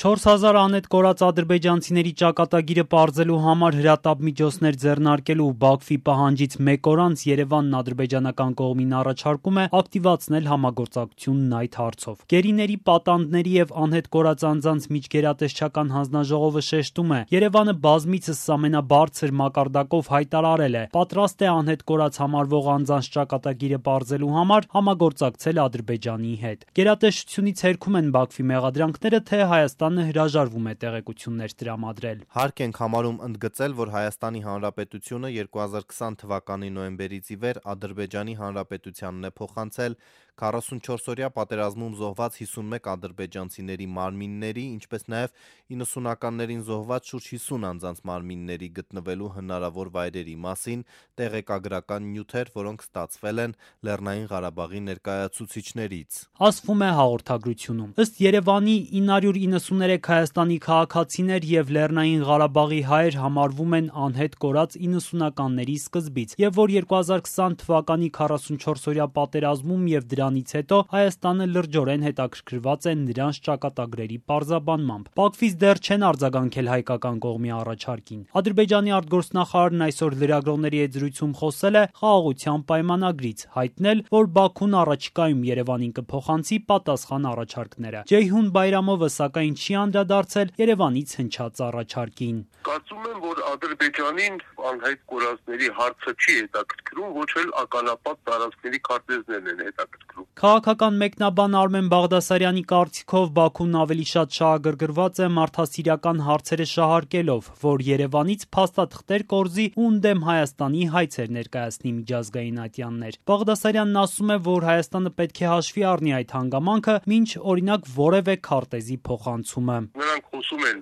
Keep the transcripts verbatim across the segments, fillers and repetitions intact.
չորս հազար անհետ կորած ադրբեջանցիների ճակատագիրը պարզելու համար հրատապ միջոցներ ձեռնարկելու Բաքվի պահանջից մեկ օր անց Երևանն ադրբեջանական կողմին առաջարկում է ակտիվացնել համագործակցությունն այդ հարցով։ Գերիների, պատանդների եւ անհետ կորած անձանց միջգերատեսչական հանձնաժողովը շեշտում է. Երևանը բազմիցս ամենաբարձր մակարդակով հայտարարել է, պատրաստ է անհետ կորած համարվող անձանց ճակատագիրը պարզելու համար համագործակցել Ադրբեջանի հետ։ Գերատեսչությունից հերքում են Բաքվի մեղադրանքները, թե Հայաստանը հրաժարվում է տեղեկություններ տրամադրել։ Հարկ ենք համարում ընդգծել, որ Հայաստանի Հանրապետությունը երկու հազար քսան թվականի նոյեմբերից ի վեր Ադրբեջանի Հանրապետությանն է փոխանցել քառասունչորսօրյա պատերազմում զոհված հիսունմեկ ադրբեջանցիների մարմինների, ինչպես նաև իննսունականներին զոհված շուրջ հիսուն անձանց մարմինների գտնվելու հնարավոր վայրերի մասին տեղեկագրական նյութեր, որոնք ստացվել են Լեռնային Ղարաբաղի ներկայացուցիչներից։ Ասվում է հաղորդագրությունում. ըստ Երևանի ինը հարյուր իննսուներեք Հայաստանի քաղաքացիներ եւ Լեռնային Ղարաբաղի հայեր համարվում են անհետ կորած իննսունականների սկզբից, եւ որ երկու հազար քսան թվականի քառասունչորսօրյա պատերազմում եւ դրանից հետո Հայաստանը լրջորեն հետաքրքրված է նրանց ճակատագրերի պարզաբանմամբ։ Բաքվից դեռ չեն արձագանքել հայկական կողմի առաջարկին։ Ադրբեջանի արտգործնախարարն այսօր լրագրողների հետ զրույցում խոսել է խաղաղության պայմանագրից, հայտնել, որ Բաքուն առաջիկայում Երևանին կփոխանցի պատասխան առաջարկները։ Ջեյհուն Բայրամովը սակայն չի անդրադարձել Երևանից հնչած առաջարկին։ Կարծում եմ, որ Ադրբեջանին անհայտ կորածների հարցը չի հետաքրքրում, ոչ էլ ականապատ տարածքների քարտեզներն են հետաքրքրում։ Քաղաքական մեկնաբան Արմեն Բաղդասարյանի կարծիքով Բաքուն ավելի շատ շահագրգռված է մարդասիրական հարցերը շահարկելով, որ Երևանից փաստաթղթեր կորզի ու ընդդեմ Հայաստանի հայցեր ներկայացնի միջազգային ատյաններ։ Բաղդասարյանն ասում է, որ Հայաստանը պետք է հաշվի առնի այդ հանգամանքը, մինչ օրինակ որևէ քարտեզի փոխանցումը։ Նրանք խոսում են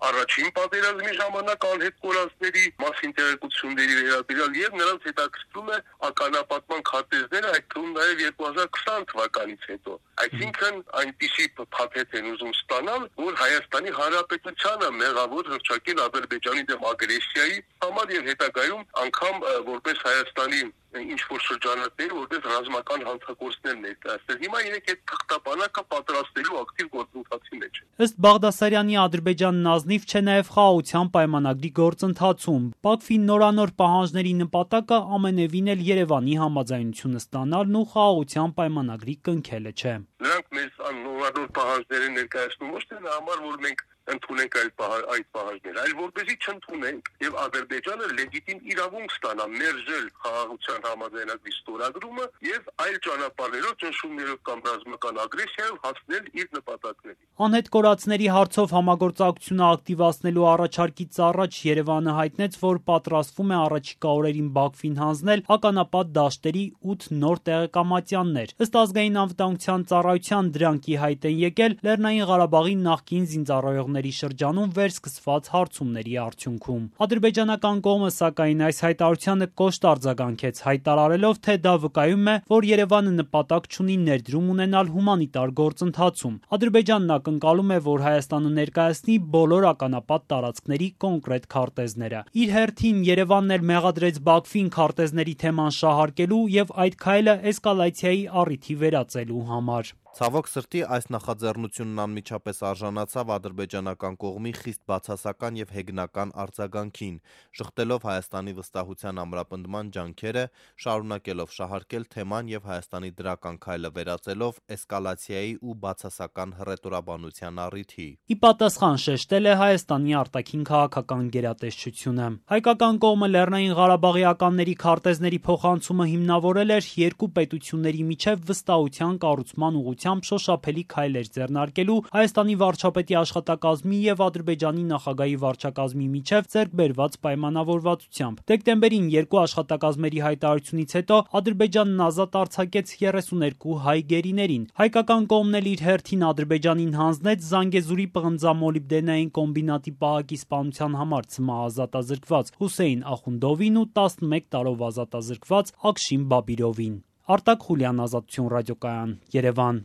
առաջին պատերազմի ժամանակ անհետ կորածների մասին տեղեկությունների վերաբերյալ եւ նրանց հետաքրքրում է ականապատման քարտեզները, այդ թվում նաեւ երկու հազար քսան թվականից հետո։ Այսինքն այնպիսի փաթեթ են ուզում ստանալ, որ Հայաստանի Հանրապետությանը մեղավոր հռչակել Ադրբեջանի դեմ ագրեսիայի համար եւ հետագայում անգամ որպես Հայաստանի ինչ-որ շրջանակներ, որպես ռազմական հանցագործներ ներկայացնել։ Հիմա իրենք այդ թղթապանակը պատրաստելու ակտիվ գործընթացի մեջ են։ Ըստ Բաղդասարյանի Ադրբեջանն ազնիվ չէ նաև խաղաղության պայմանագրի գործընթացում։ Բաքվի նորանոր պահանջների նպատակը ամենևին էլ Երևանի համաձայնությունը ստանալն ու խաղաղության պայմանագրի կնքելը չէ։ Նրանք մեզ նորանոր պահանջները ներկայացնում ոչ թե նա համար, որ մենք ընդունենք այդ պահանջները, այլ որպեսզի չընդունենք եւ Ադրբեջանը լեգիտիմ իրավունք ստանա մերժել խաղաղության համաձայնագրի ստորագրումը եւ այլ ճանապարհներով ճնշումներով կամ ռազմական ագրեսիայով հասնել իր նպատակներին։ Անհետ կորածների հարցով համագործակցությունը ակտիվացնելու առաջարկից առաջ Երևանը հայտնեց, որ պատրաստվում է առաջիկա օրերին Բաքվին հանձնել ականապատ դաշտերի ութ նոր տեղեկամատյաններ։ Ըստ ազգային անվտանգության ծառայության դրանք ի հայտ են եկել Լեռնային Ղարաբաղի նախկին զինծառայողների շրջանում վերսկսված հարցումների արդյունքում։ Ադրբեջանական կողմը սակայն այս հայտարարությանը կոշտ արձագանքեց, հայտարարելով, թե դա վկայում է, որ Երևանը նպատակ չունի ներդրում ունենալ հումանիտար գործընթացում։ Ադրբեջանն ակնկալում է, որ Հայաստանը ներկայացնի բոլոր ականապատ տարածքների կոնկրետ քարտեզները։ Իր հերթին Երևանն էլ մեղադրեց Բաքվին քարտեզների թեման շահարկելու եւ այդ քայլը էսկալացիայի առիթի վերածելու համար։ Ցավոք սրտի այս նախաձեռնությունն անմիջապես արժանացավ ադրբեջանական կողմի խիստ բացասական եւ հեգնական արձագանքին, շղթելով Հայաստանի վստահության ամրապնդման ջանքերը, շարունակելով շահարկել թեման եւ Հայաստանի դրական քայլը վերածելով էսկալացիայի ու բացասական հռետորաբանության առիթի։ Ի պատասխան շեշտել է Հայաստանի արտաքին քաղաքական գերատեսչությունը։ Հայկական կողմը Լեռնային Ղարաբաղիականների քարտեզների փոխանցումը հիմնավորել էր երկու պետությունների միջև վստահության կառուցման ուղղությամբ շոշափելի քայլեր ձեռնարկելու Հայաստանի վարչապետի աշխատակազմի եւ Ադրբեջանի նախագահի վարչակազմի միջև ձեռք բերված պայմանավորվածությամբ։ Դեկտեմբերին երկու աշխատակազմերի հայտարարությունից հետո Ադրբեջանն ազատ արձակեց երեսուներկու հայ գերիներին։ Հայկական կողմն էլ իր հերթին Ադրբեջանին հանձնեց Զանգեզուրի պղնձամոլիբդենային կոմբինատի պահակի սպանության համար ցմահ-ազատազրկված Հուսեյն Ախունդովին ու տասնմեկ տարով ազատազրկված Ակշին Բաբիրովին։ Արտակ Խուլյան, Ազատություն ռադիոկայան, Երևան։